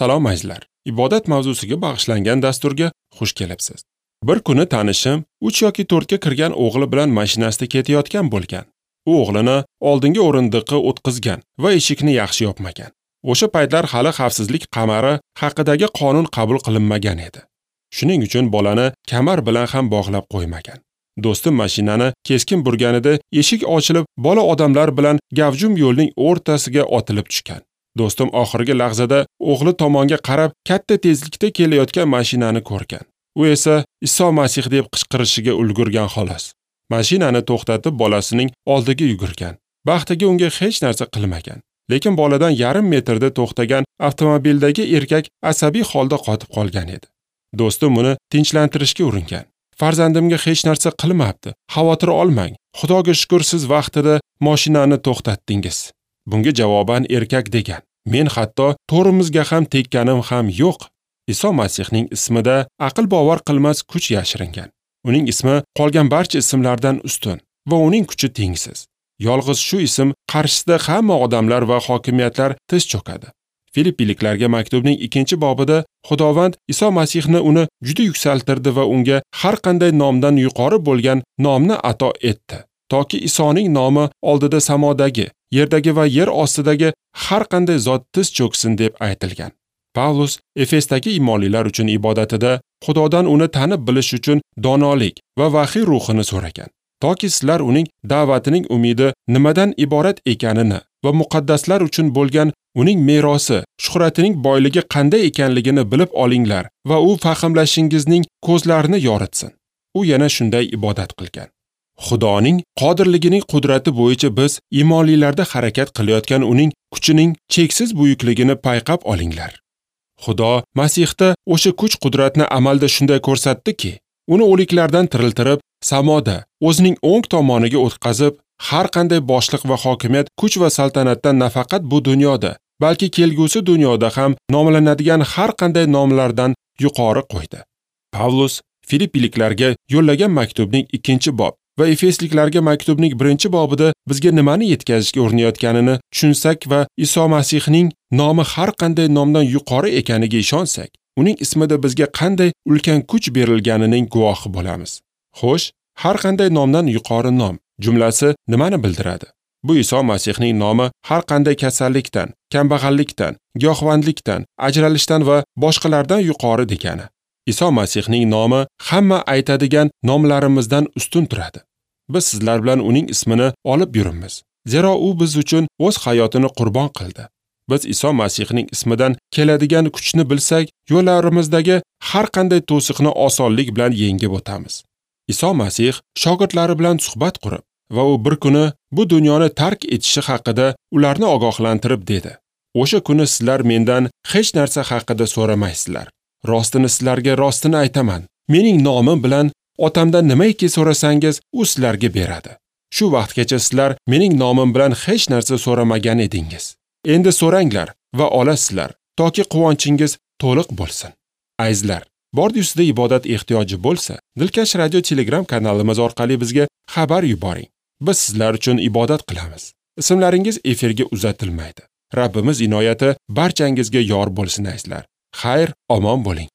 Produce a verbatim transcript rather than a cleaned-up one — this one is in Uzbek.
Salom azizlar. Ibodat mavzusiga bag'ishlangan dasturga xush kelibsiz. Bir kuni tanishim uch yoki to'rtga kirgan o'g'li bilan mashinasida ketayotgan bo'lgan. U o'g'lini oldingi o'rindiqqa o'tqizgan va eshikni yaxshi yopmagan. O'sha paytlar hali xavfsizlik qamari haqidagi qonun qabul qilinmagan edi. Shuning uchun bolani kamar bilan ham bog'lab qo'ymagan. Do'stim mashinani keskin burganida eshik ochilib, bola odamlar bilan gavjum yo'lning o'rtasiga otilib tushgan. Do'stim oxirgi lahzada o'g'li tomonga qarab katta tezlikda kelayotgan mashinani ko'rgan. U esa Iso Masih deb qichqirishiga ulgurgan xolos. Mashinani to'xtatib bolasining oldiga yugurgan. Baxtiga unga hech narsa qilmagan. Lekin boladan yarim metrda to'xtagan avtomobildagi erkak asabiy holda qotib qolgan edi. Do'stim uni tinchlantirishga uringan. Farzandimga hech narsa qilmabdi. Xavotir olmang. Xudoga shukr, siz vaqtida mashinani to'xtatdingiz. Bunga javoban erkak degan: Men hatto to'rimizga ham tekkanim ham yo'q. Iso Masihning ismida aql bovar qilmas kuch yashiringan. Uning ismi qolgan barcha ismlardan ustun va uning kuchi tengsiz. Yolg'iz shu ism qarshisida hamma odamlar va hokimiyatlar tiz cho'kadi. Filippiliklarga maktubning ikkinchi bobida Xudovand Iso Masihni uni juda yuksaltirdi va unga har qanday nomdan yuqori bo'lgan nomni ato etdi. Toki Isoning nomi oldida samodagi, yerdagi va yer ostidagi har qanday zot tiz cho'ksin deb aytilgan. Pavlus Efesdagi iymonlilar uchun ibodatida Xudodan uni tanib bilish uchun donolik va vahiy ruhini so'ragan. Toki sizlar uning da'vatining umidi nimadan iborat ekanini va muqaddaslar uchun bo'lgan uning merosi, shuhratining boyligi qanday ekanligini bilib olinglar va u fahmlashingizning ko'zlarini yoritsin. U yana shunday ibodat qilgan. Xudoning qodirligining qudrati bo'yicha biz iymonlilarda harakat qilayotgan uning kuchining cheksiz buyukligini payqab olinglar. Xudo Masihda o'sha kuch-qudratni amalda shunday ko'rsatdiki, uni o'liklardan tiriltirib, samoda o'zining o'ng tomoniga o'tqazib, har qanday boshliq va hokimiyat, kuch va saltanatdan nafaqat bu dunyoda, balki kelgusi dunyoda ham nomlanadigan har qanday nomlardan yuqori qo'ydi. Pavlus Filippiliklarga yo'llagan maktubning ikkinchi bob va Efesliklarga maktubning birinchi bobida bizga nimani yetkazishga urinayotganini tushunsak va Iso Masihning nomi har qanday nomdan yuqori ekaniga ishonsak, uning ismida bizga qanday ulkan kuch berilganining guvohi bo'lamiz. Xo'sh, har qanday nomdan yuqori nom jumlasi nimani bildiradi? Bu Iso Masihning nomi har qanday kasallikdan, kambag'allikdan, giyohvandlikdan, ajralishdan va boshqalardan yuqori degani. Iso Masihning nomi hamma aytadigan nomlarimizdan ustun turadi. Biz sizlar bilan uning ismini olib yuribmiz. Zero u biz uchun o'z hayotini qurbon qildi. Biz Iso Masihning ismidan keladigan kuchni bilsak, yo'llarimizdagi har qanday to'siqni osonlik bilan yengib o'tamiz. Iso Masih shogirdlari bilan suhbat qurib va u bir kuni bu dunyoni tark etishi haqida ularni ogohlantirib dedi: O'sha kuni sizlar mendan hech narsa haqida so'ramaysizlar. Rostini sizlarga rostini aytaman. Mening nomim bilan otamdan nimaiki so'rasangiz, u sizlarga beradi. Shu vaqtgacha sizlar mening nomim bilan hech narsa so'ramagan edingiz. Endi so'ranglar va olasizlar, toki quvonchingiz to'liq bo'lsin. Azizlar, bordi ustida ibodat ehtiyoji bo'lsa, Dilkash Radio Telegram kanalimiz orqali bizga xabar yuboring. Biz sizlar uchun ibodat qilamiz. Ismlaringiz efirga uzatilmaydi. Rabbimiz inoyati barchangizga yor bo'lsin azizlar. Xayr, omon bo'ling.